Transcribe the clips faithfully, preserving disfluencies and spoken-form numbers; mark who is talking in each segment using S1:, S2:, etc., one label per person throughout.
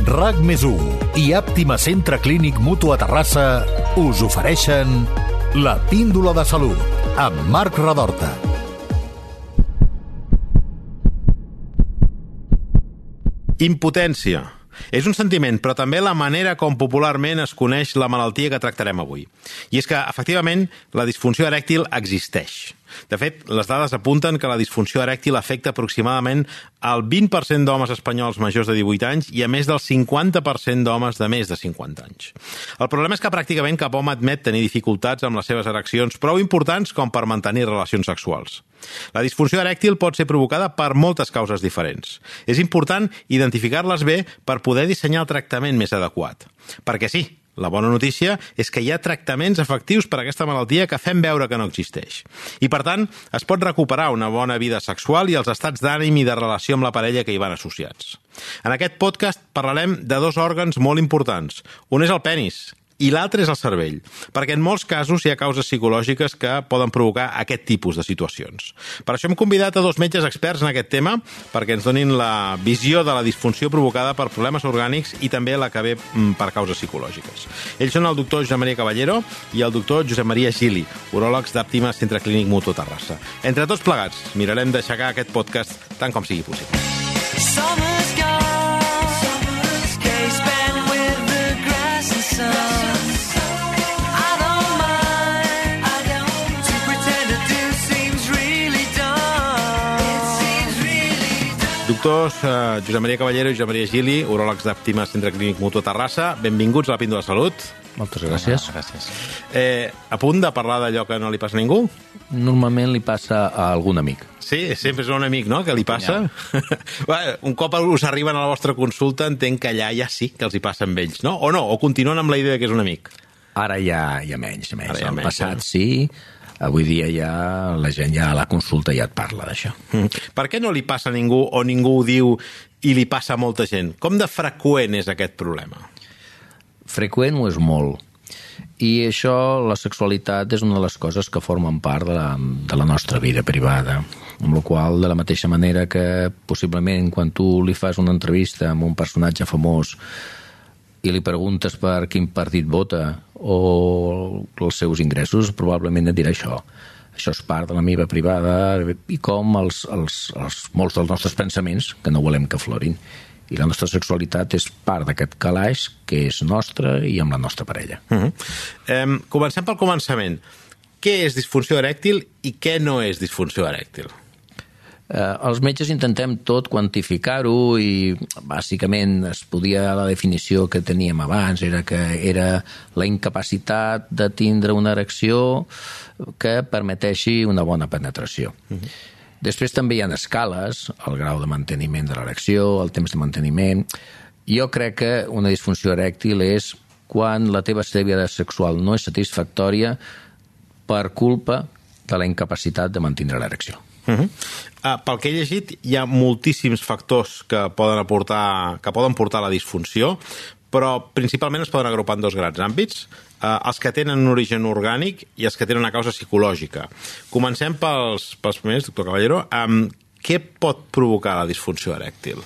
S1: RAC més u i Àptima Centre Clínic Mutu a Terrassa us ofereixen La Píndola de Salut amb Marc Redorta.
S2: Impotència. És un sentiment, però també la manera com popularment es coneix la malaltia que tractarem avui. I és que, efectivament, la disfunció erèctil existeix. De fet, les dades apunten que la disfunció erèctil afecta aproximadament el vint per cent d'homes espanyols majors de divuit anys i a més del cinquanta per cent d'homes de més de cinquanta anys. El problema és que pràcticament cap home admet tenir dificultats amb les seves ereccions prou importants com per mantenir relacions sexuals. La disfunció erèctil pot ser provocada per moltes causes diferents. És important identificar-les bé per poder dissenyar el tractament més adequat. Perquè sí, la bona notícia és que hi ha tractaments efectius per a aquesta malaltia que fem veure que no existeix. I, per tant, es pot recuperar una bona vida sexual i els estats d'ànim i de relació amb la parella que hi van associats. En aquest podcast parlarem de dos òrgans molt importants. Un és el penis i l'altre és el cervell, perquè en molts casos hi ha causes psicològiques que poden provocar aquest tipus de situacions. Per això hem convidat a dos metges experts en aquest tema perquè ens donin la visió de la disfunció provocada per problemes orgànics i també la que ve per causes psicològiques. Ells són el doctor Josep Maria Caballero i el doctor Josep Maria Gili, uròlegs d'Àptima Centre Clínic Mutu a Terrassa. Entre tots plegats, mirarem d'aixecar aquest podcast tant com sigui possible. Doctors uh, Josep Maria Caballero i Josep Maria Gili, uròlegs d'Àptima Centre Clínic Mutu a Terrassa, benvinguts a la Píndola de Salut.
S3: Moltes gràcies.
S2: Ah, gràcies. Eh, a punt de parlar d'allò que no li passa a ningú?
S3: Normalment li passa a algun amic.
S2: Sí, sempre és un amic, no?, que li passa. Ja. Un cop us arriben a la vostra consulta, entenc que allà ja sí que els hi passa amb ells, no? O no? O continuen amb la idea que és un amic?
S3: Ara ja, ja menys, menys.
S2: Ara ja
S3: Al
S2: menys,
S3: passat
S2: eh?
S3: sí, avui dia ja la gent ja a la consulta ja et parla d'això.
S2: Mm. Per què no li passa a ningú o ningú ho diu i li passa a molta gent? Com de freqüent és aquest problema?
S3: Freqüent ho és molt. I això, la sexualitat, és una de les coses que formen part de la, de la nostra vida privada. Amb la qual, de la mateixa manera que possiblement quan tu li fas una entrevista amb un personatge famós i li preguntes per quin partit vota o els seus ingressos, probablement et dirà això. Això és part de la meva privada i com els, els, els, molts dels nostres pensaments, que no volem que aflorin. I la nostra sexualitat és part d'aquest calaix que és nostre i amb la nostra parella.
S2: Uh-huh. eh, comencem pel començament. Què és disfunció erèctil i què no és disfunció erèctil?
S3: Eh, els metges intentem tot quantificar-ho i bàsicament es podia, la definició que teníem abans era que era la incapacitat de tindre una erecció que permeteixi una bona penetració. Uh-huh. Després també hi ha escales, el grau de manteniment de l'erecció, el temps de manteniment. Jo crec que una disfunció erèctil és quan la teva vida sexual no és satisfactòria per culpa de la incapacitat de mantenir l'erecció.
S2: Uh-huh. Uh, pel que he llegit, hi ha moltíssims factors que poden aportar, que poden portar a la disfunció, però principalment es poden agrupar en dos grans àmbits, uh, els que tenen un origen orgànic i els que tenen una causa psicològica. Comencem pels, pels primers, doctor Caballero. Um, què pot provocar la disfunció erèctil?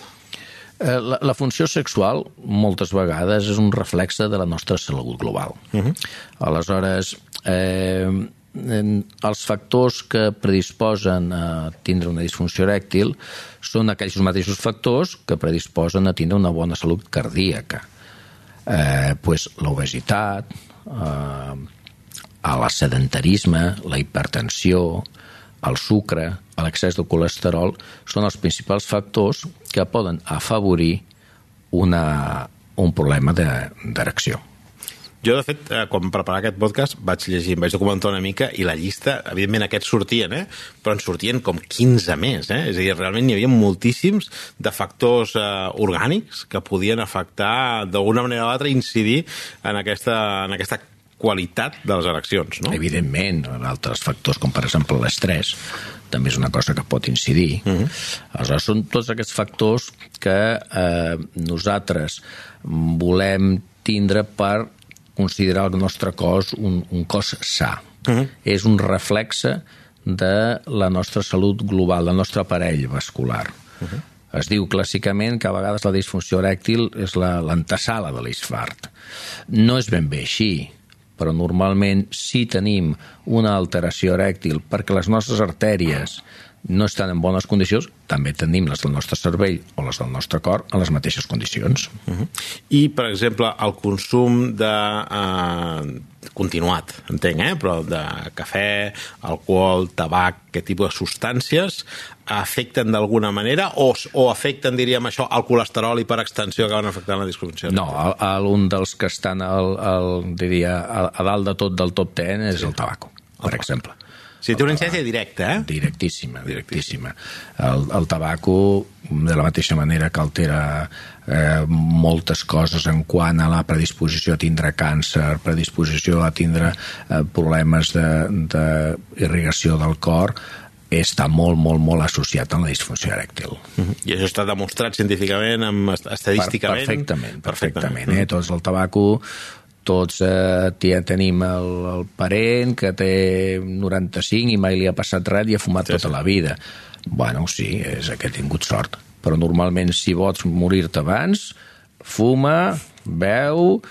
S3: La, la funció sexual, moltes vegades, és un reflexe de la nostra salut global. Uh-huh. Aleshores, eh, els factors que predisposen a tindre una disfunció erèctil són aquells mateixos factors que predisposen a tindre una bona salut cardíaca. Eh, pues, l'obesitat, eh, el sedentarisme, la hipertensió, el sucre, l'excés de colesterol són els principals factors que poden afavorir una, un problema d'erecció.
S2: Jo, de fet, quan preparar aquest podcast vaig llegir, vaig documentar una mica i la llista, evidentment aquests sortien, eh? Però en sortien com quinze més, eh? És a dir, realment hi havia moltíssims de factors eh, orgànics que podien afectar d'alguna manera o altra, incidir en aquesta, en aquesta qualitat de les ereccions, no?
S3: Evidentment, altres factors, com per exemple l'estrès, també és una cosa que pot incidir. Uh-huh. Aleshores, són tots aquests factors que eh, nosaltres volem tindre per considerar el nostre cos un, un cos sa. Uh-huh. És un reflexe de la nostra salut global, del nostre aparell vascular. Uh-huh. Es diu clàssicament que a vegades la disfunció erèctil és l'antesala de l'infart. No és ben bé així, però normalment si tenim una alteració erèctil perquè les nostres artèries no estan en bones condicions, també tenim les del nostre cervell o les del nostre cor en les mateixes condicions.
S2: Uh-huh. I, per exemple, el consum de eh, continuat, entenc, eh? però de cafè, alcohol, tabac, aquest tipus de substàncies afecten d'alguna manera o, o afecten, diríem això, el colesterol i per extensió acaben afectant la disfunció?
S3: No, el, el, un dels que estan al, al, diria, a, a dalt de tot del top ten és sí. el tabaco, per el exemple.
S2: Sí, té una incidència directa, eh?
S3: Directíssima, directíssima. El, el tabaco, de la mateixa manera que altera eh, moltes coses en quant a la predisposició a tindre càncer, predisposició a tindre eh, problemes d'irrigació de, del cor, està molt, molt, molt associat amb la disfunció erèctil.
S2: Uh-huh. I això està demostrat científicament, amb, estadísticament?
S3: Per, perfectament, perfectament. perfectament eh? Tots el tabaco... Tots eh, tenim el, el parent que té noranta-cinc i mai li ha passat res i ha fumat sí, tota sí. la vida. Bueno, sí, és que he tingut sort. Però normalment, si vols morir-te abans, fuma, beu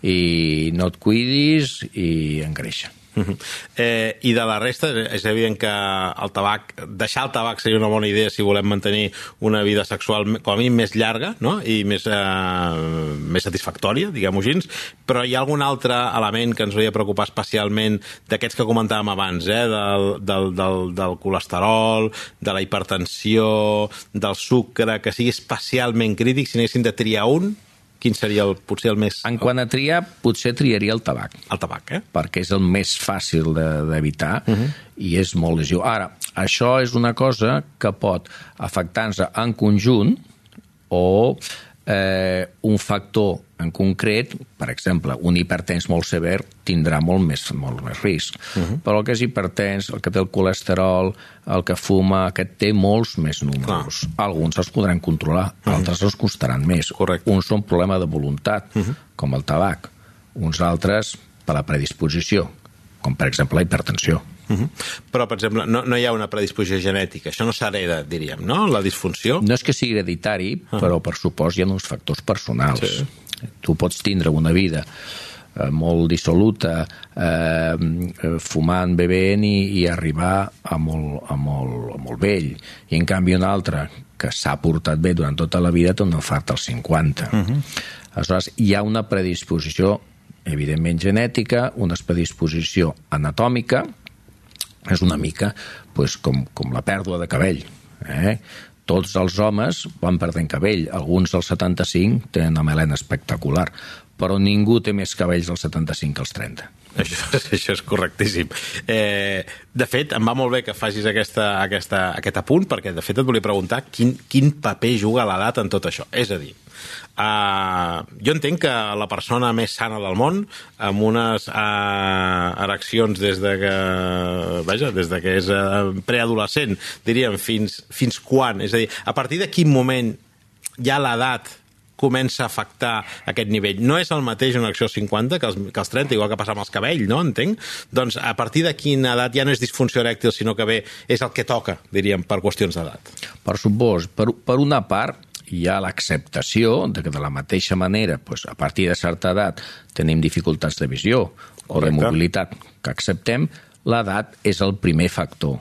S3: i no et cuidis i engreixa.
S2: Uh-huh. eh, I de la resta, és evident que el tabac, deixar el tabac seria una bona idea si volem mantenir una vida sexual com a mínim més llarga, no? I més, eh, més satisfactòria, diguem-ho així, però hi ha algun altre element que ens hauria de preocupar especialment d'aquests que comentàvem abans, eh? del, del, del, del colesterol, de la hipertensió, del sucre, que sigui especialment crític, si n'haguessin de triar un, quin seria el, potser el més...
S3: En quant a triar, potser triaria el tabac.
S2: El tabac, eh?
S3: Perquè és el més fàcil d'evitar de, uh-huh. i és molt lesiu. Ara, això és una cosa que pot afectar-nos en conjunt o eh, un factor en concret, per exemple, un hipertens molt sever tindrà molt més, molt més risc. Uh-huh. Però el que és hipertens, el que té el colesterol, el que fuma, aquest té molts més números. Clar. Alguns els podran controlar, uh-huh. altres els costaran més.
S2: Correcte.
S3: Uns són problema de voluntat, uh-huh. com el tabac. Uns altres per la predisposició, com per exemple la hipertensió.
S2: Uh-huh. Però, per exemple, no, no hi ha una predisposició genètica. Això no s'hereda, diríem, no? La disfunció?
S3: No és que sigui hereditari, uh-huh. però per supost hi ha uns factors personals.
S2: Sí.
S3: Tu pots tindre una vida eh, molt dissoluta, eh, fumant, bevent i, i arribar a molt, a, molt, a molt vell. I en canvi un altre que s'ha portat bé durant tota la vida té un infart als cinquanta. Uh-huh. Aleshores, hi ha una predisposició evidentment genètica, una predisposició anatòmica, és una mica pues, com, com la pèrdua de cabell. Eh? Tots els homes van perdent cabell. Alguns dels setanta-cinc tenen una melena espectacular, però ningú té més cabells als setanta-cinc que als trenta.
S2: Això, això és correctíssim. Eh, de fet, em va molt bé que facis aquesta, aquesta, aquest apunt, perquè de fet et volia preguntar quin, quin paper juga l'edat en tot això. És a dir, Uh, jo entenc que la persona més sana del món, amb unes uh, ereccions des de que, vaja, des de que és uh, preadolescent, diríem, fins, fins quan? És a dir, a partir de quin moment ja l'edat comença a afectar aquest nivell? No és el mateix una erecció als cinquanta que als, que als trenta, igual que passa amb els cabells, no? Entenc? Doncs a partir de quina edat ja no és disfunció erèctil, sinó que bé, és el que toca, diríem, per qüestions d'edat.
S3: Per supost, per, per una part, hi ha l'acceptació de que de la mateixa manera, doncs, a partir de certa edat, tenim dificultats de visió o de mobilitat que acceptem, l'edat és el primer factor.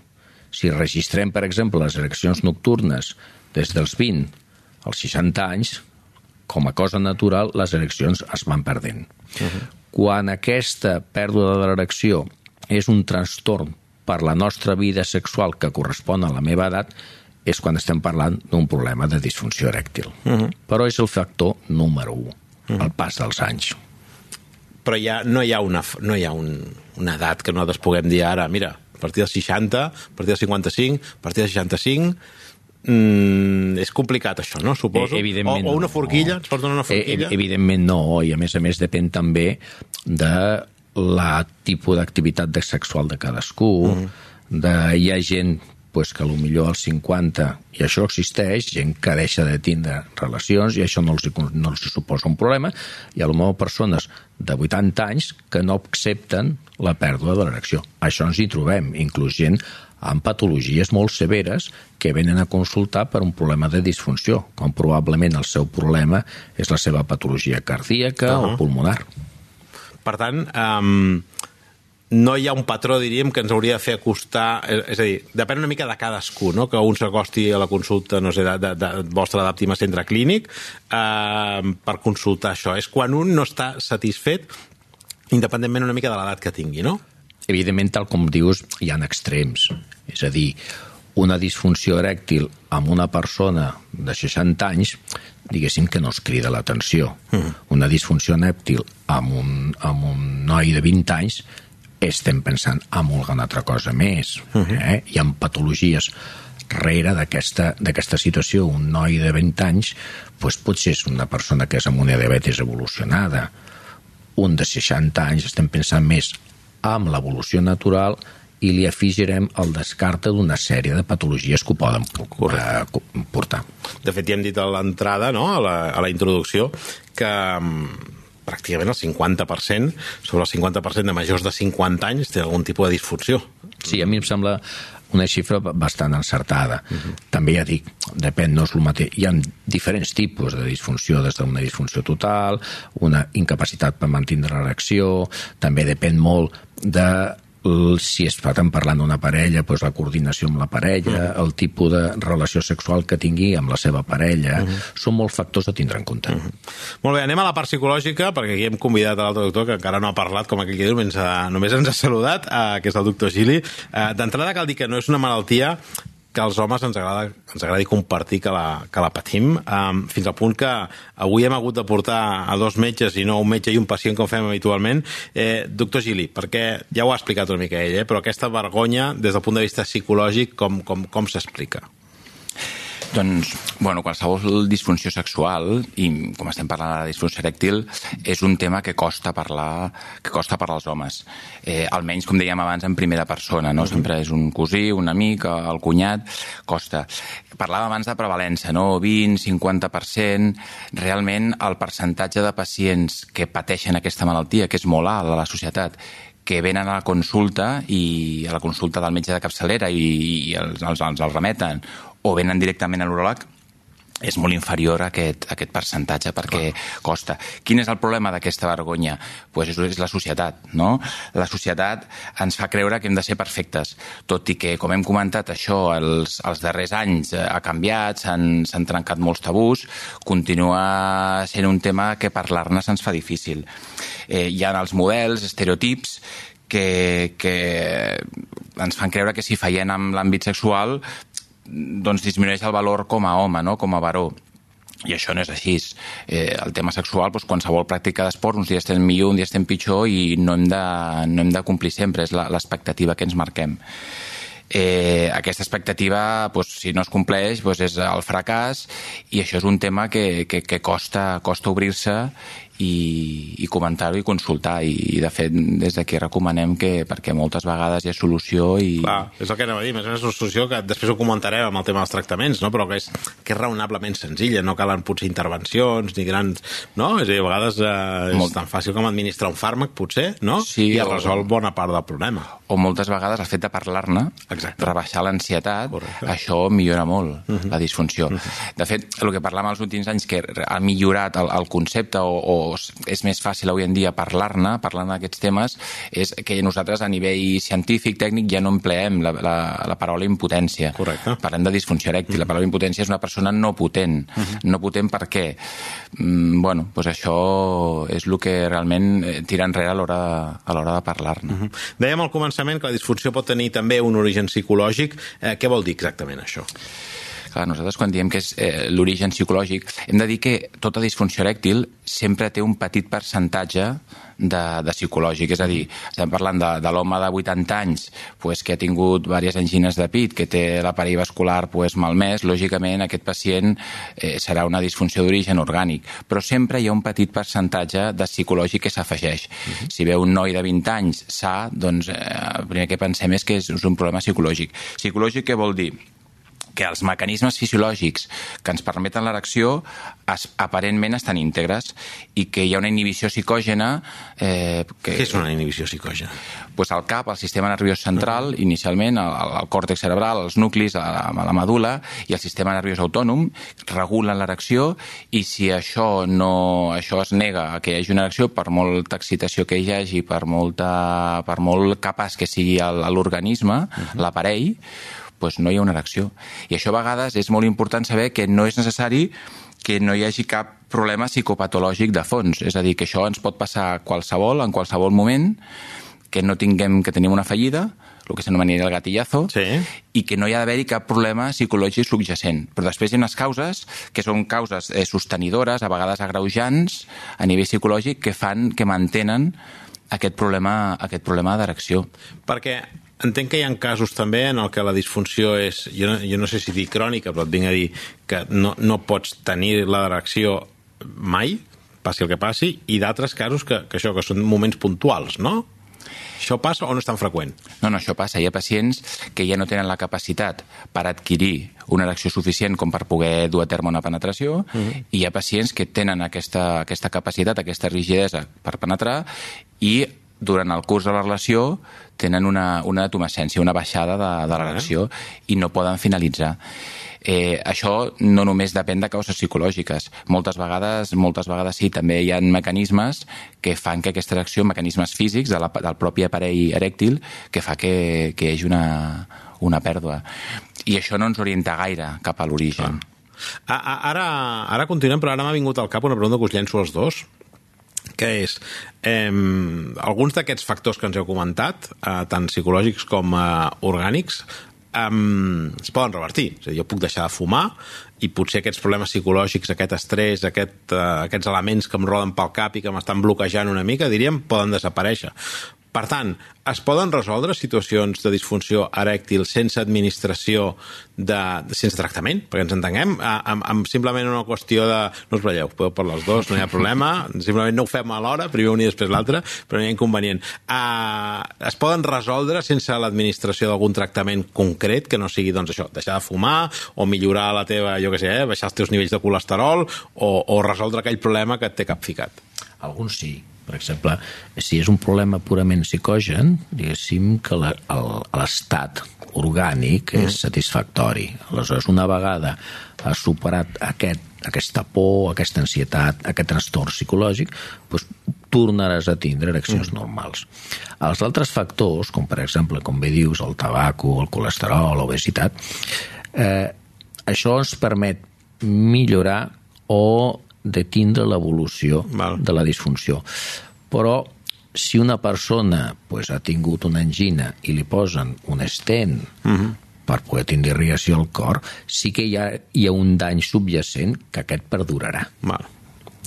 S3: Si registrem, per exemple, les ereccions nocturnes des dels vint als seixanta anys, com a cosa natural, les ereccions es van perdent. Uh-huh. Quan aquesta pèrdua de l'erecció és un trastorn per la nostra vida sexual que correspon a la meva edat, és quan estem parlant d'un problema de disfunció erèctil. Uh-huh. Però és el factor número u, uh-huh. el pas dels anys.
S2: Però ja no hi ha, una, no hi ha un, una edat que nosaltres puguem dir ara, mira, a partir dels seixanta, a partir dels cinquanta-cinc, a partir dels seixanta-cinc... Mm, és complicat això, no? Suposo.
S3: Eh,
S2: o, o una forquilla, no. Ens pot donar una forquilla?
S3: Eh, evidentment no, i a més a més depèn també de la tipus d'activitat sexual de cadascú, uh-huh. de, hi ha gent pues, que potser als cinquanta, i això existeix, gent que deixa de tindre relacions i això no els, no els suposa un problema, i potser persones de vuitanta anys que no accepten la pèrdua de l'erecció. Això ens hi trobem, inclús gent amb patologies molt severes que venen a consultar per un problema de disfunció, com probablement el seu problema és la seva patologia cardíaca uh-huh. o pulmonar.
S2: Per tant, um, no hi ha un patró, diríem, que ens hauria de fer acostar... És a dir, depèn una mica de cadascú, no? Que un s'acosti a la consulta, no sé, de, de, de vostre d'Àptima Centre Clínic eh, per consultar això. És quan un no està satisfet, independentment una mica de l'edat que tingui, no?
S3: Evidentment, tal com dius, hi ha extrems. És a dir, una disfunció erèctil amb una persona de seixanta anys, diguéssim que no es crida l'atenció. Mm. Una disfunció erèctil amb un, amb un noi de vint anys, estem pensant en alguna altra cosa més. Mm-hmm. Eh? Hi ha patologies darrere d'aquesta d'aquesta situació. Un noi de vint anys doncs potser és una persona que és amb una diabetis evolucionada. Un de seixanta anys estem pensant més amb l'evolució natural i li afegirem el descarte d'una sèrie de patologies que ho poden eh, portar.
S2: De fet, ja hem dit a l'entrada, no? a, la, a la introducció, que um, pràcticament el cinquanta per cent, sobre el cinquanta per cent de majors de cinquanta anys, té algun tipus de disfunció.
S3: Sí, a mi em sembla una xifra bastant encertada. Uh-huh. També ja dic, depèn, no és el mateix. Hi ha diferents tipus de disfunció, des d'una disfunció total, una incapacitat per mantenir l'erecció, també depèn molt de si es fa tant parlant d'una parella, doncs la coordinació amb la parella, uh-huh. el tipus de relació sexual que tingui amb la seva parella, uh-huh. són molts factors a tindre en compte.
S2: Uh-huh. Molt bé, anem a la part psicològica, perquè aquí hem convidat a l'altre doctor, que encara no ha parlat, com aquell que diu, només, només ens ha saludat, eh, que és el doctor Gili. Eh, D'entrada cal dir que no és una malaltia que als homes ens agrada, ens agradi compartir que la, que la patim, um, fins al punt que avui hem hagut de portar a dos metges i no un metge i un pacient com fem habitualment. Eh, doctor Gili, perquè ja ho ha explicat una mica ell, eh, però aquesta vergonya des del punt de vista psicològic com, com, com s'explica?
S4: Doncs, bueno, qualsevol disfunció sexual, i com estem parlant de la disfunció erèctil, és un tema que costa parlar, que costa parlar als homes. Eh, almenys, com dèiem abans, en primera persona, no? Uh-huh. Sempre és un cosí, un amic, el cunyat, costa. Parlàvem abans de prevalença, no? vint, cinquanta per cent. Realment, el percentatge de pacients que pateixen aquesta malaltia, que és molt alt a la societat, que venen a la consulta i a la consulta del metge de capçalera i, i els, els, els, els remeten, o venen directament a l'uròleg, és molt inferior a aquest, a aquest percentatge perquè costa. Quin és el problema d'aquesta vergonya? Pues és la societat, no? La societat ens fa creure que hem de ser perfectes, tot i que, com hem comentat, això els, els darrers anys ha canviat, s'han trencat molts tabús, continua sent un tema que parlar-ne se'ns fa difícil. Eh, hi ha els models, estereotips, que, que ens fan creure que si fallem en l'àmbit sexual doncs disminueix el valor com a home, no? Com a varó. I això no és així. Eh, el tema sexual, doncs, qualsevol pràctica d'esport, uns dies estem millor, un dia estem pitjor i no hem de, no hem de complir sempre, és l'expectativa que ens marquem. Eh, aquesta expectativa, doncs, si no es compleix, doncs és el fracàs, i això és un tema que, que, que costa, costa obrir-se i, i comentar-ho i consultar, i, i de fet des d'aquí recomanem que, perquè moltes vegades hi ha solució i...
S2: Clar, és el que anem a dir, més o menys una solució que després ho comentarem amb el tema dels tractaments, no? Però que és, que és raonablement senzilla, no calen potser intervencions ni grans, no? És a dir, a vegades eh, és Molt... tan fàcil com administrar un fàrmac, potser, no?
S4: Sí,
S2: i es resol bona part del problema.
S4: O moltes vegades el fet de parlar-ne, rebaixar l'ansietat, això millora molt uh-huh. la disfunció. Uh-huh. De fet, el que parlàvem els últims anys, que ha millorat el, el concepte o, o és més fàcil avui en dia parlar-ne, parlant d'aquests temes, és que nosaltres a nivell científic, tècnic, ja no empleem la, la, la paraula impotència.
S2: Correcte.
S4: Parlem de disfunció erèctil. Uh-huh. La paraula impotència és una persona no potent. Uh-huh. No potent per què? Mm, bueno, doncs això és el que realment tira enrere a l'hora a l'hora de parlar-ne.
S2: Uh-huh. Dèiem al començament que la disfunció pot tenir també un origen psicològic. Eh, què vol dir exactament això?
S4: Clar, nosaltres quan diem que és eh, l'origen psicològic, hem de dir que tota disfunció erèctil sempre té un petit percentatge de, de psicològic. És a dir, estem parlant de, de l'home de vuitanta anys pues, que ha tingut diverses angines de pit, que té l'aparell vascular pues, malmès, lògicament aquest pacient eh, serà una disfunció d'origen orgànic. Però sempre hi ha un petit percentatge de psicològic que s'afegeix. Uh-huh. Si veu un noi de vint anys sa, doncs eh, el primer que pensem és que és un problema psicològic. Psicològic què vol dir? que els mecanismes fisiològics que ens permeten l'erecció es, aparentment estan íntegres i que hi ha una inhibició psicògena... Eh, que,
S2: Què és una inhibició psicògena?
S4: Pues el cap, el sistema nerviós central, uh-huh. inicialment, el, el còrtex cerebral, els nuclis, la, la medul·la i el sistema nerviós autònom regulen l'erecció i si això no això es nega a que hi hagi una erecció, per molta excitació que hi hagi, per, molta, per molt capaç que sigui l'organisme, uh-huh. l'aparell, doncs no hi ha una erecció. I això a vegades és molt important saber que no és necessari que no hi hagi cap problema psicopatològic de fons. És a dir, que això ens pot passar qualsevol, en qualsevol moment, que no tinguem que tenir una fallida, el que s'anomenia el gatillazo,
S2: sí.
S4: i que no hi ha d'haver-hi cap problema psicològic subjacent. Però després hi ha unes causes que són causes eh, sostenidores, a vegades agreujants, a nivell psicològic, que fan, que mantenen aquest problema, aquest problema d'erecció.
S2: Perquè entenc que hi ha casos també en el que la disfunció és, jo no, jo no sé si dir crònica, però et vinc a dir que no, no pots tenir l'erecció mai, passi el que passi, i d'altres casos que, que això, que són moments puntuals, no? Això passa o no és tan freqüent?
S4: No, no, això passa. Hi ha pacients que ja no tenen la capacitat per adquirir una erecció suficient com per poder dur a terme una penetració, uh-huh. i hi ha pacients que tenen aquesta, aquesta capacitat, aquesta rigidesa per penetrar, i durant el curs de la relació tenen una, una detumescència, una baixada de, de l'erecció, i no poden finalitzar. Eh, això no només depèn de causes psicològiques. Moltes vegades, moltes vegades sí, també hi ha mecanismes que fan que aquesta erecció, mecanismes físics de la, del propi aparell erèctil, que fa que, que hi hagi una, una pèrdua. I això no ens orienta gaire cap a l'origen.
S2: Ah. Ara, ara continuem, però ara m'ha vingut al cap una pregunta que us llenço als dos, que és, eh, alguns d'aquests factors que ens heu comentat, eh, tant psicològics com eh, orgànics, Um, es poden revertir. És a dir, jo puc deixar de fumar i potser aquests problemes psicològics, aquest estrès, aquest, uh, aquests elements que em roden pel cap i que m'estan bloquejant una mica, diríem, poden desaparèixer. Per tant, es poden resoldre situacions de disfunció erèctil sense administració, de, de, sense tractament, perquè ens entenguem, amb, amb simplement una qüestió de... No us balleu, podeu per les dues, no hi ha problema, simplement no ho fem a l'hora, primer un i després l'altre, però no hi ha inconvenient. Uh, es poden resoldre sense l'administració d'algun tractament concret, que no sigui, doncs, això, deixar de fumar, o millorar la teva, jo què sé, eh, baixar els teus nivells de colesterol, o, o resoldre aquell problema que et té capficat.
S3: Alguns sí. Per exemple, si és un problema purament psicogen, diguéssim que l'estat orgànic és satisfactori. Aleshores, una vegada has superat aquest, aquesta por, aquesta ansietat, aquest trastorn psicològic, doncs tornaràs a tindre ereccions mm. normals. Els altres factors, com per exemple, com bé dius, el tabaco, el colesterol, l'obesitat, eh, això ens permet millorar o de tindre l'evolució de la disfunció. Però si una persona pues, ha tingut una angina i li posen un stent uh-huh. per poder tindre irrigació al cor, sí que hi ha, hi ha un dany subjacent que aquest perdurarà.
S2: Val.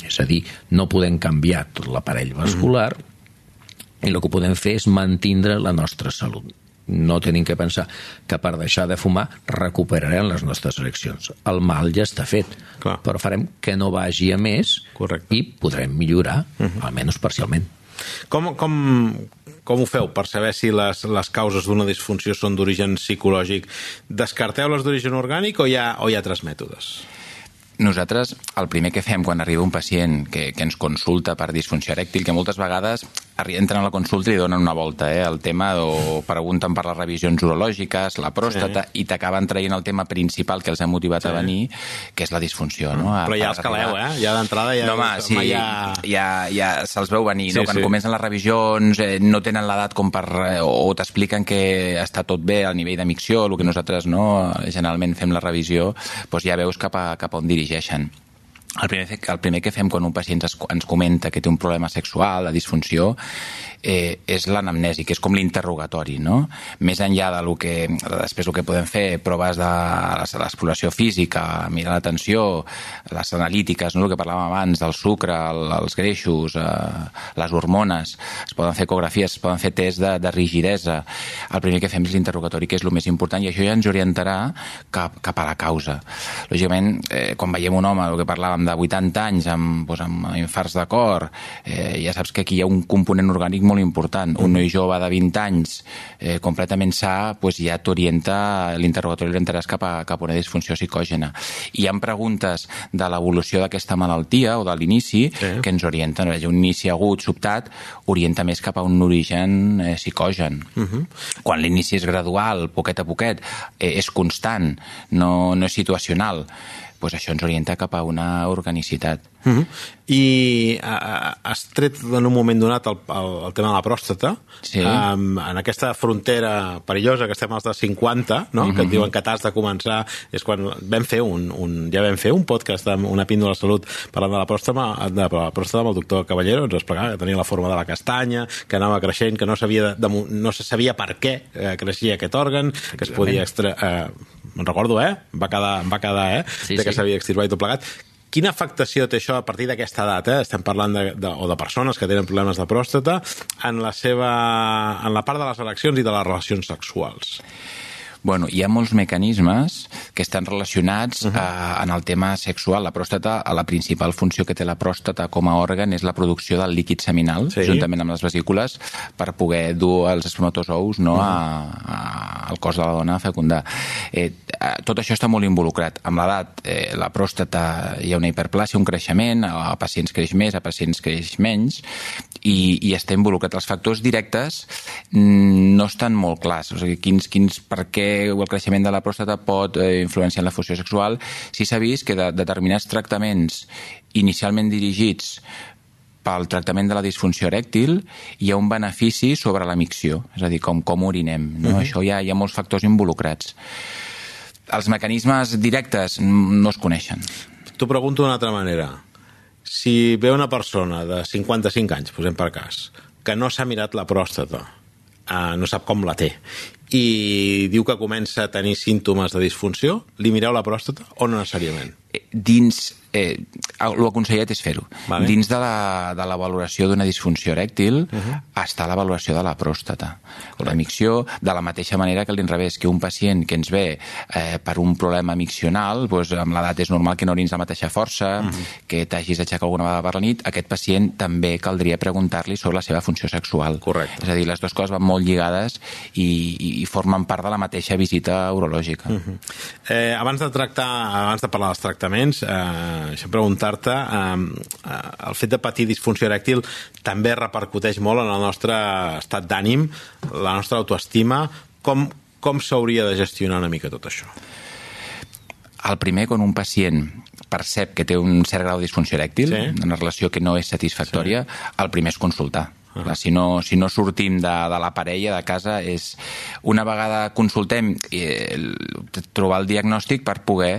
S3: És a dir, no podem canviar tot l'aparell vascular uh-huh. i el que podem fer és mantindre la nostra salut. No tenim que pensar que per deixar de fumar recuperarem les nostres ereccions. El mal ja està fet.
S2: Clar.
S3: Però farem que no vagi a més.
S2: Correcte.
S3: I podrem millorar, uh-huh. almenys parcialment.
S2: Com, com, com ho feu per saber si les, les causes d'una disfunció són d'origen psicològic? Descarteu les d'origen orgànic o hi ha, o hi ha altres mètodes?
S4: Nosaltres, el primer que fem quan arriba un pacient que, que ens consulta per disfunció erèctil, que moltes vegades entren a la consulta i li donen una volta eh, al tema, o pregunten per les revisions urològiques, la pròstata, sí. i t'acaben traient el tema principal que els ha motivat sí. a venir, que és la disfunció. No? A,
S2: Però ja els caleu, eh? Ja d'entrada ja...
S4: No, home, sí, ja, ja, ja se'ls veu venir. Sí, no? Quan sí. comencen les revisions eh, no tenen l'edat com per... Eh, o t'expliquen que està tot bé al nivell de micció, el que nosaltres no, generalment fem la revisió, doncs ja veus cap a, cap a on dirigeixen. El primer, el primer que fem quan un pacient ens, ens comenta que té un problema sexual, la disfunció, eh, és l'anamnesi, que és com l'interrogatori, no? Més enllà de lo que, després el que podem fer, proves de l'exploració física, mirar la tensió, les analítiques, no? El que parlàvem abans, del sucre, el, els greixos, eh, les hormones, es poden fer ecografies, es poden fer tests de, de rigidesa. El primer que fem és l'interrogatori, que és el més important, i això ja ens orientarà cap, cap a la causa. Lògicament, eh, quan veiem un home, el que parlàvem amb de vuitanta anys, amb, doncs, amb infarts de cor, eh, ja saps que aquí hi ha un component orgànic molt important. Un noi jove de vint anys, eh, completament sa, doncs ja t'orienta, l'interrogatori l'orientaràs cap a, cap a una disfunció psicògena. I hi ha preguntes de l'evolució d'aquesta malaltia o de l'inici sí. que ens orienten. Un inici agut, sobtat, orienta més cap a un origen eh, psicogen. Uh-huh. Quan l'inici és gradual, poquet a poquet, eh, és constant, no, no és situacional, doncs això ens orienta cap a una organicitat.
S2: Uh-huh. I uh, has tret en un moment donat el, el, el tema de la pròstata,
S4: sí.
S2: um, en aquesta frontera perillosa que estem als de cinquanta, no? Uh-huh. Que et diuen que t'has de començar, és quan vam fer un, un, ja vam fer un podcast amb una píndola de salut parlant de la pròstata, de la pròstata amb el doctor Caballero, ens explicava que tenia la forma de la castanya, que anava creixent, que no, sabia de, de, no se sabia per què eh, creixia aquest òrgan, que es podia extra... Eh, me'n recordo, eh? Va quedar, va quedar eh?
S3: Sí,
S2: de que
S3: sí.
S2: s'havia extirpat i tot plegat. Quina afectació té això a partir d'aquesta edat? Eh? Estem parlant de, de, o de persones que tenen problemes de pròstata en la seva, en la part de les ereccions i de les relacions sexuals.
S4: Bueno, hi ha molts mecanismes que estan relacionats uh-huh. eh, en el tema sexual. La pròstata, la principal funció que té la pròstata com a òrgan és la producció del líquid seminal, sí. juntament amb les vesícules, per poder dur els espermatozous no, uh-huh. a, a, al cos de la dona a fecundar. Eh, tot això està molt involucrat. Amb l'edat, eh, la pròstata hi ha una hiperplàsia, un creixement, a pacients creix més, a pacients creix menys, i, i està involucrat. Els factors directes no estan molt clars. O sigui, quins, quins, per què el creixement de la pròstata pot eh, influenciar en la funció sexual. Sí s'ha vist que de, determinats tractaments inicialment dirigits pel tractament de la disfunció erèctil hi ha un benefici sobre la micció, és a dir, com, com urinem. No? Uh-huh. Això hi ha, hi ha molts factors involucrats. Els mecanismes directes no es coneixen.
S2: T'ho pregunto d'una altra manera. Si ve una persona de cinquanta-cinc anys, posem per cas, que no s'ha mirat la pròstata, eh, no sap com la té, i diu que comença a tenir símptomes de disfunció, li mireu la pròstata o no necessàriament?
S4: Dins, eh, l'aconsellat és fer-ho.
S2: Vale.
S4: Dins de la, de la valoració d'una disfunció erèctil uh-huh. està la valoració de la pròstata. Correcte. La micció, de la mateixa manera que l'inrevés, que un pacient que ens ve eh, per un problema miccional, doncs, amb l'edat és normal que no orins la mateixa força, uh-huh. que t'hagis d'aixecar alguna vegada per la nit, aquest pacient també caldria preguntar-li sobre la seva funció sexual.
S2: Correcte.
S4: És a dir, les dues coses van molt lligades i, i formen part de la mateixa visita urològica.
S2: Uh-huh. eh, abans de tractar, abans de parlar dels tractaments, eh, deixa'm preguntar-te, eh, el fet de patir disfunció erèctil també repercuteix molt en el nostre estat d'ànim, la nostra autoestima. Com, com s'hauria de gestionar una mica tot això?
S4: El primer, quan un pacient percep que té un cert grau de disfunció erèctil, sí. una relació que no és satisfactòria, sí. el primer és consultar. Uh-huh. Clar, si, no, si no sortim de, de la parella, de casa, és una vegada consultem eh, trobar el diagnòstic per poder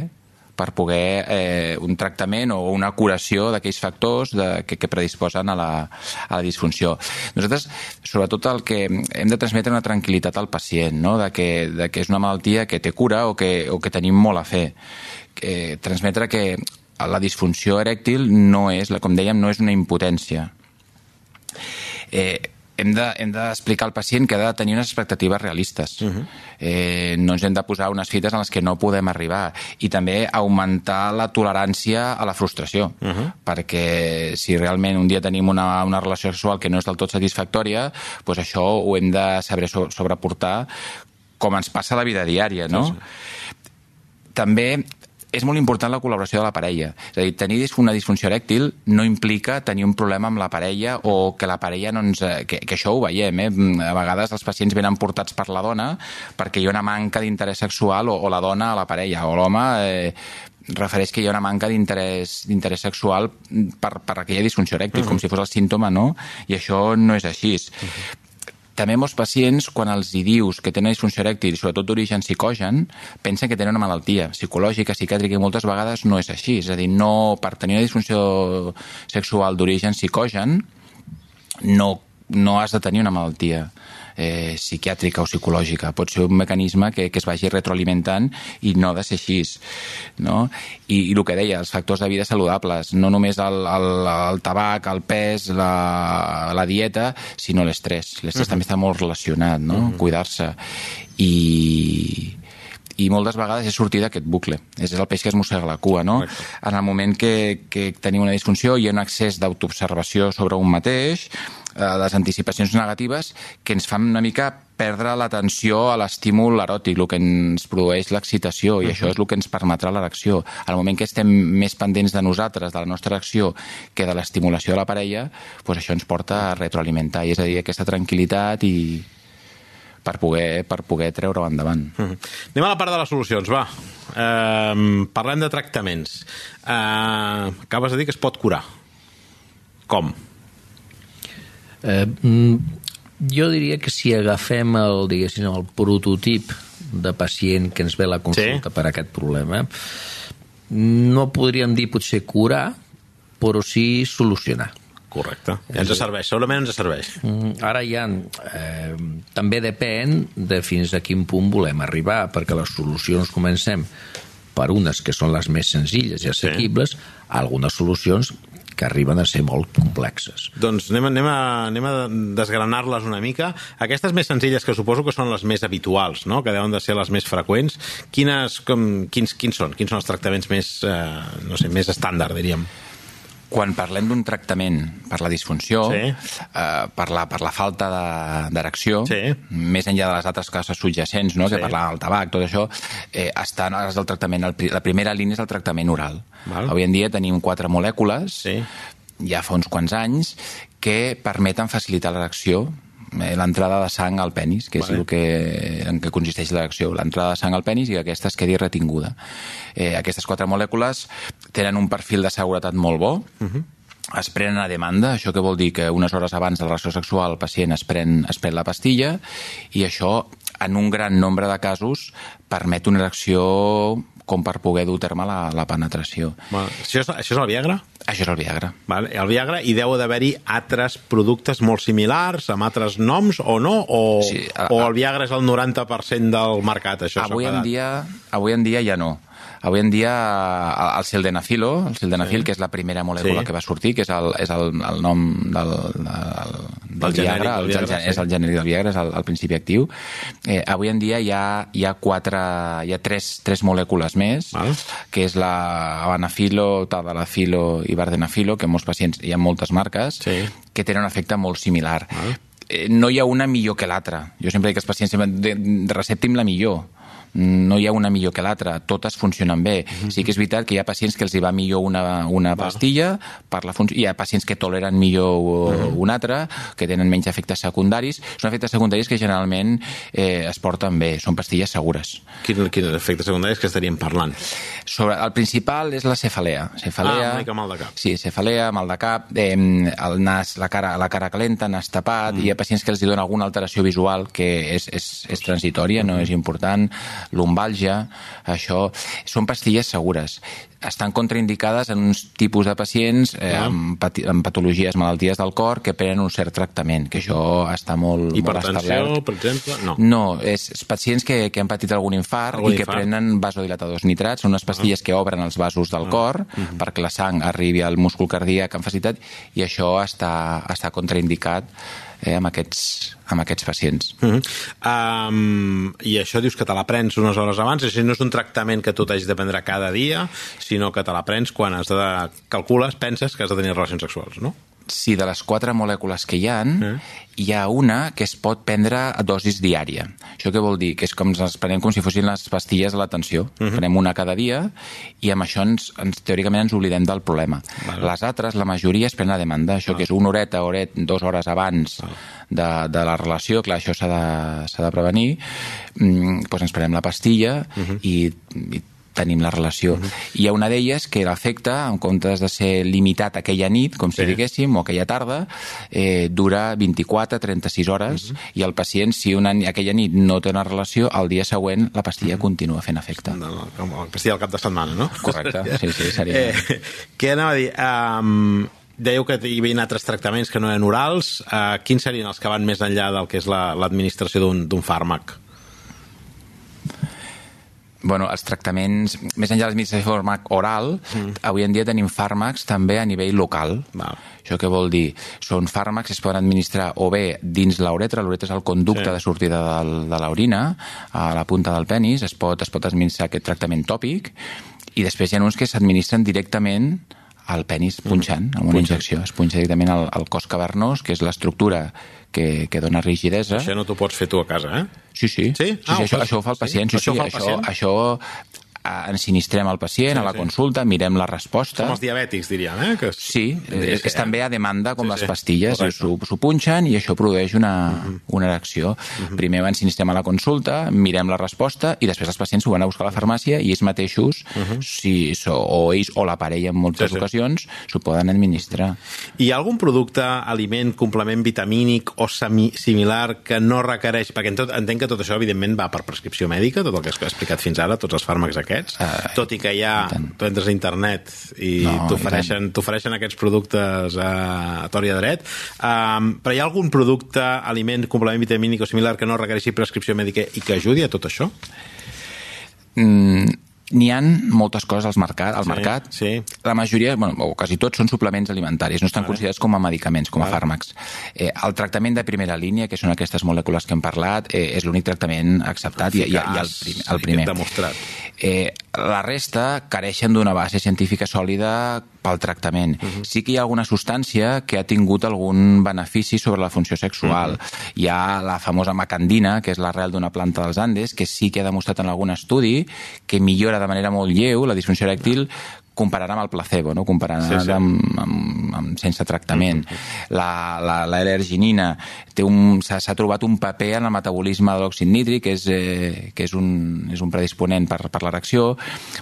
S4: per poder eh, un tractament o una curació d'aquells factors de, que, que predisposen a la, a la disfunció. Nosaltres, sobretot, el que hem de transmetre una tranquil·litat al pacient, no? de, que, de que és una malaltia que té cura o que, o que tenim molt a fer. Que, transmetre que la disfunció erèctil no és, com dèiem, no és una impotència. Eh, hem de, hem d'explicar al pacient que ha de tenir unes expectatives realistes. Uh-huh. Eh, no ens hem de posar unes fites en les que no podem arribar. I també augmentar la tolerància a la frustració. Uh-huh. Perquè si realment un dia tenim una, una relació sexual que no és del tot satisfactòria, doncs això ho hem de saber sobreportar com ens passa a la vida diària, no? Sí, sí. També és molt important la col·laboració de la parella. És a dir, tenir una disfunció erèctil no implica tenir un problema amb la parella o que la parella no ens... Que, que això ho veiem, eh? A vegades els pacients venen portats per la dona perquè hi ha una manca d'interès sexual o, o la dona a la parella, o l'home eh, refereix que hi ha una manca d'interès d'interès sexual per, per aquella disfunció erèctil, uh-huh. com si fos el símptoma, no? I això no és així. Uh-huh. També molts pacients, quan els hi dius que tenen disfunció erèctil, sobretot d'origen psicogen, pensen que tenen una malaltia psicològica, psiquiàtrica, i moltes vegades no és així. És a dir, no, per tenir una disfunció sexual d'origen psicogen no, no has de tenir una malaltia eh, psiquiàtrica o psicològica. Pot ser un mecanisme que, que es vagi retroalimentant i no ha de ser així. No? I, i el que deia, els factors de vida saludables, no només el, el, el tabac, el pes, la, la dieta, sinó l'estrès. L'estrès uh-huh. també està molt relacionat, no? Uh-huh. Cuidar-se. I... i moltes vegades és sortir d'aquest bucle. És el peix que es mossega la cua, no? Correcte. En el moment que, que tenim una disfunció hi ha un excés d'autoobservació sobre un mateix, eh, les anticipacions negatives que ens fan una mica perdre l'atenció a l'estímul eròtic, el que ens produeix l'excitació, i uh-huh. això és el que ens permetrà l'erecció. Al moment que estem més pendents de nosaltres, de la nostra acció, que de l'estimulació de la parella, doncs això ens porta a retroalimentar, i és a dir, aquesta tranquil·litat i per poder, per poder treure-ho endavant.
S2: Uh-huh. Anem a la part de les solucions, va. Uh, parlem de tractaments. Uh, acabes de dir que es pot curar. Com?
S3: Eh, jo diria que si agafem el, diguéssim, el prototip de pacient que ens ve a la consulta sí. per aquest problema, no podríem dir potser curar, però sí solucionar.
S2: Correcte. Ens serveix, segurament ens serveix.
S3: Ara ja eh, també depèn de fins a quin punt volem arribar, perquè les solucions comencem per unes que són les més senzilles i assequibles, sí. algunes solucions que arriben a ser molt complexes.
S2: Doncs anem, anem a, anem a desgranar-les una mica. Aquestes més senzilles, que suposo que són les més habituals, no? Que deuen de ser les més freqüents, quines, com, quins, quins són? Quins són els tractaments més, eh, no sé, més estàndard, diríem?
S4: Quan parlem d'un tractament per la disfunció, sí. eh, per, la, per la falta d'erecció, sí. més enllà de les altres causes subjacents, no? sí. que parlàvem del tabac, tot això, eh, està, és el tractament, el, la primera línia és el tractament oral. Val. Avui en dia tenim quatre molècules, sí. ja fa uns quants anys, que permeten facilitar l'erecció, l'entrada de sang al penis, que és vale. el que, en què consisteix l'erecció, l'entrada de sang al penis i que aquesta es quedi retinguda. Eh, aquestes quatre molècules tenen un perfil de seguretat molt bo, uh-huh. es prenen a demanda, això que vol dir que unes hores abans de la relació sexual el pacient es pren, es pren la pastilla, i això, en un gran nombre de casos, permet una erecció com per poder dur a terme la, la penetració.
S2: Bueno, això, és, això és el Viagra?
S4: Això és el Viagra.
S2: Vale, el Viagra, i deu d'haver-hi altres productes molt similars, amb altres noms, o no? O, sí, a, o el Viagra és el noranta per cent del mercat? Això
S4: avui, en dia, avui en dia ja no. Avui en dia el sildenafilo, el sildenafil, sí. que és la primera molècula sí. que va sortir, que és el, és el, el nom del, del, del el Viagra, el, Viagra el, sí. és el genèric del Viagra, és el, el principi actiu. Eh, avui en dia hi ha, hi ha, quatre, hi ha tres, tres molècules més, Val. que és la avanafilo, tadalafilo i vardenafilo, que en molts pacients hi ha moltes marques, sí. que tenen un efecte molt similar. Val. Eh, no hi ha una millor que l'altra. Jo sempre dic que els pacients sempre receptin la millor. No hi ha una millor que l'altra, totes funcionen bé. Mm-hmm. Sí que és veritat que hi ha pacients que els hi va millor una, una pastilla, per la funció, hi ha pacients que toleren millor mm-hmm. una altra, que tenen menys efectes secundaris. Són efectes secundaris que generalment eh, es porten bé, són pastilles segures.
S2: Quins quin efectes secundaris que estaríem parlant?
S4: Sobre, el principal és la cefalea. cefalea
S2: ah, una mica mal de cap.
S4: Sí, cefalea, mal de cap, eh, el nas, la cara, la cara calenta, nas tapat, mm. hi ha pacients que els hi dona alguna alteració visual que és, és, és transitòria, no és important, lumbalgia, això són pastilles segures. Estan contraindicades en uns tipus de pacients eh, ah. amb, pati amb patologies, malalties del cor, que prenen un cert tractament, que això està molt, molt establert.
S2: Hipertensió, per exemple? No.
S4: No, és, és pacients que, que han patit algun infart algun i que infart? prenen vasodilatadors nitrats, són unes pastilles ah. que obren els vasos del ah. cor uh -huh. perquè la sang arribi al múscul cardíac amb facilitat, i això està, està contraindicat eh, amb, aquests, amb aquests pacients.
S2: Uh -huh. um, I això dius que te la prens unes hores abans, és a dir, no és un tractament que tu t'hagis de prendre cada dia, sinó que te la prens quan has de... calcules, penses que has de tenir relacions sexuals, no?
S4: Sí, de les quatre molècules que hi ha, eh? hi ha una que es pot prendre a dosis diària. Això què vol dir? Que és com ens prenem com si fossin les pastilles de l'atenció. Uh -huh. Prenem una cada dia i amb això ens, ens, teòricament ens oblidem del problema. Vale. Les altres, la majoria, es prenen a demanda. Això ah. que és una horeta, horet, dues hores abans ah. de, de la relació, clar, això s'ha de, s'ha de prevenir, mm, doncs ens prenem la pastilla uh -huh. i, i tenim la relació. Uh-huh. Hi ha una d'elles que l'efecte, en comptes de ser limitat aquella nit, com si sí. diguéssim, o aquella tarda, eh, dura vint-i-quatre a trenta-sis hores, uh-huh. i el pacient, si una, aquella nit no té una relació, el dia següent la pastilla uh-huh. continua fent efecte.
S2: No, com la pastilla al cap de setmana, no?
S4: Correcte, sí, sí, seria...
S2: Eh, què anava a dir? Um, dèieu que hi havia altres tractaments que no eren orals. Uh, quins serien els que van més enllà del que és l'administració la, d'un fàrmac?
S4: bueno, els tractaments, més enllà de l'administració de fàrmac oral, mm. avui en dia tenim fàrmacs també a nivell local. Val. Això què vol dir? Són fàrmacs que es poden administrar o bé dins l'uretra, l'uretra és el conducte sí. de sortida de, de l'orina, a la punta del penis, es pot, es pot administrar aquest tractament tòpic, i després hi ha uns que s'administren directament al penis punxant, amb una Punxa. injecció. Es punxa directament al, al cos cavernós, que és l'estructura que, que dona rigidesa.
S2: Això no t'ho pots fer tu a casa, eh?
S4: Sí, sí.
S2: Sí?
S4: sí, ah, sí això, això ho fa el pacient. Sí,
S2: això
S4: sí,
S2: ho fa el pacient?
S4: Això, això ensinistrem al pacient sí, a la sí. consulta, mirem la resposta.
S2: Som els diabètics, diríem, eh? Que
S4: sí, és, és també a demanda com sí, les pastilles,
S2: sí.
S4: s'ho punxen i això produeix una, uh-huh. una reacció. Uh-huh. Primer ho ensinistrem a la consulta, mirem la resposta i després els pacients ho van a buscar a la farmàcia i ells mateixos, uh-huh. si, so, o ells o la parella en moltes sí, sí. ocasions, s'ho poden administrar.
S2: Hi ha algun producte, aliment, complement vitamínic o semi similar que no requereix, perquè tot, entenc que tot això evidentment va per prescripció mèdica, tot el que has explicat fins ara, tots els fàrmacs aquests, Uh, tot i que ja tu entres a internet i no, t'ofereixen t'ofereixen aquests productes a, a tor i a dret, um, però hi ha algun producte, aliment, complement vitamínic o similar que no requereixi prescripció mèdica i que ajudi a tot això?
S4: Mm, n'hi ha moltes coses al mercat, al
S2: sí,
S4: mercat.
S2: Sí.
S4: La majoria, bueno, o quasi tots, són suplements alimentaris, no estan vale. considerats com a medicaments, com a vale. fàrmacs. Eh, el tractament de primera línia, que són aquestes molècules que hem parlat, eh, és l'únic tractament acceptat i, i, i el, prim, el primer.
S2: Demostrat.
S4: Eh, la resta careixen d'una base científica sòlida pel tractament. Uh-huh. Sí que hi ha alguna substància que ha tingut algun benefici sobre la funció sexual. Uh-huh. Hi ha la famosa macandina, que és l'arrel d'una planta dels Andes, que sí que ha demostrat en algun estudi que millora de manera molt lleu la disfunció erèctil comparant amb el placebo, no? comparant sí, sí. Amb, amb, amb sense tractament. Mm-hmm. La, la, la L-arginina té un, s'ha, s'ha trobat un paper en el metabolisme de l'òxid nítric, que és, eh, que és, un, és un predisponent per, per l'erecció.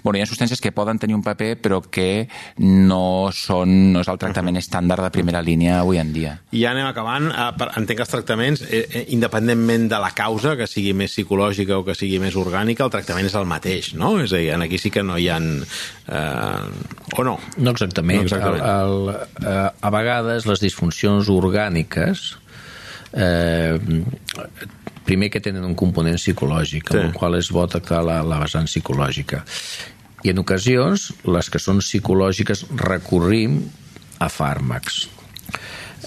S4: Bueno, hi ha substàncies que poden tenir un paper, però que no, són, no és el tractament mm-hmm. estàndard de primera línia avui en dia.
S2: I ja anem acabant. Entenc que els tractaments, eh, independentment de la causa, que sigui més psicològica o que sigui més orgànica, el tractament és el mateix, no? És a dir, aquí sí que no hi ha... Eh, o no?
S3: No exactament. No exactament. El, el, eh, a vegades les disfuncions orgàniques eh, primer que tenen un component psicològic, sí. amb el qual és bo tractar la, la vessant psicològica. I en ocasions, les que són psicològiques recorrim a fàrmacs.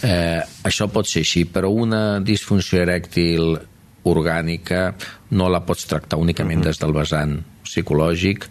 S3: Eh, això pot ser així, però una disfunció erèctil orgànica no la pots tractar únicament uh-huh. des del vessant psicològic,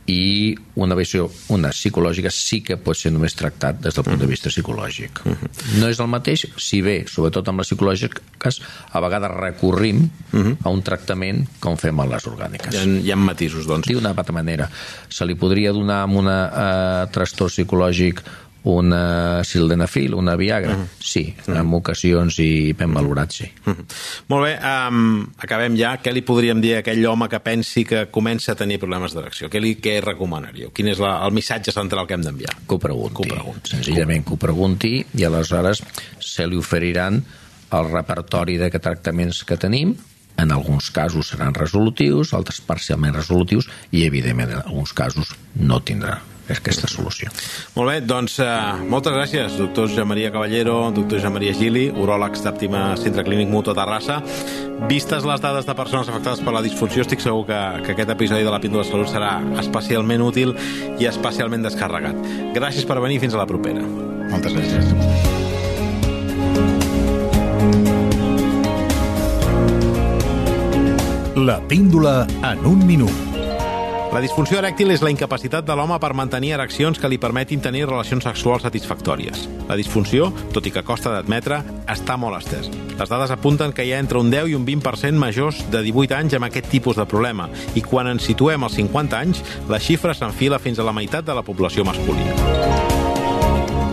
S3: i una visió, una psicològica sí que pot ser només tractat des del punt de vista psicològic. Uh-huh. No és el mateix, si bé, sobretot amb les psicològiques, a vegades recorrim uh-huh. a un tractament com fem a les orgàniques.
S2: Hi ha, hi ha matisos, doncs.
S3: D'una altra manera. Se li podria donar amb un uh, trastorn psicològic una sildenafil, una Viagra? Uh-huh. Sí, uh-huh. en ocasions i ben valorat, sí.
S2: Uh-huh. Molt bé, um, acabem ja. Què li podríem dir a aquell home que pensi que comença a tenir problemes d'erecció? Què li què recomanaríeu? Quin és la, el missatge central que hem d'enviar?
S3: Que ho pregunti. Que ho pregunti. Senzillament que ho pregunti i aleshores se li oferiran el repertori de tractaments que tenim. En alguns casos seran resolutius, altres parcialment resolutius i, evidentment, en alguns casos no tindrà aquesta solució.
S2: Molt bé, doncs uh, moltes gràcies, doctor Josep Maria Caballero, doctor Josep Maria Gili, uròlegs d'Àptima Centre Clínic Mutu a Terrassa. Vistes les dades de persones afectades per la disfunció, estic segur que, que aquest episodi de la Píndola de Salut serà especialment útil i especialment descarregat. Gràcies per venir, fins a la propera.
S4: Moltes gràcies.
S1: La píndola en un minut.
S2: La disfunció erèctil és la incapacitat de l'home per mantenir ereccions que li permetin tenir relacions sexuals satisfactòries. La disfunció, tot i que costa d'admetre, està molt estesa. Les dades apunten que hi ha entre un deu i un vint per cent majors de divuit anys amb aquest tipus de problema, i quan ens situem als cinquanta anys, la xifra s'enfila fins a la meitat de la població masculina.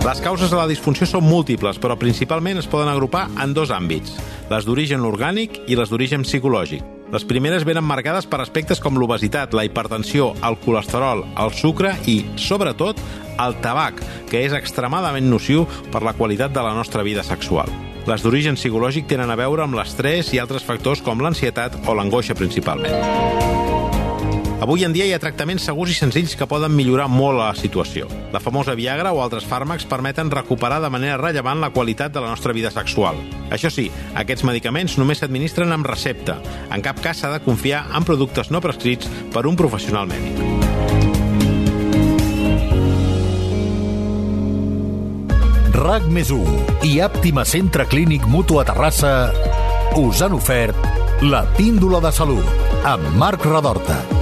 S2: Les causes de la disfunció són múltiples, però principalment es poden agrupar en dos àmbits, les d'origen orgànic i les d'origen psicològic. Les primeres venen marcades per aspectes com l'obesitat, la hipertensió, el colesterol, el sucre i, sobretot, el tabac, que és extremadament nociu per la qualitat de la nostra vida sexual. Les d'origen psicològic tenen a veure amb l'estrès i altres factors com l'ansietat o l'angoixa principalment. Avui en dia hi ha tractaments segurs i senzills que poden millorar molt la situació. La famosa Viagra o altres fàrmacs permeten recuperar de manera rellevant la qualitat de la nostra vida sexual. Això sí, aquests medicaments només s'administren amb recepta. En cap cas s'ha de confiar en productes no prescrits per un professional mèdic.
S1: RAC més u i Àptima Centre Clínic Mutu a Terrassa us han ofert la Píndola de Salut amb Marc Radorta.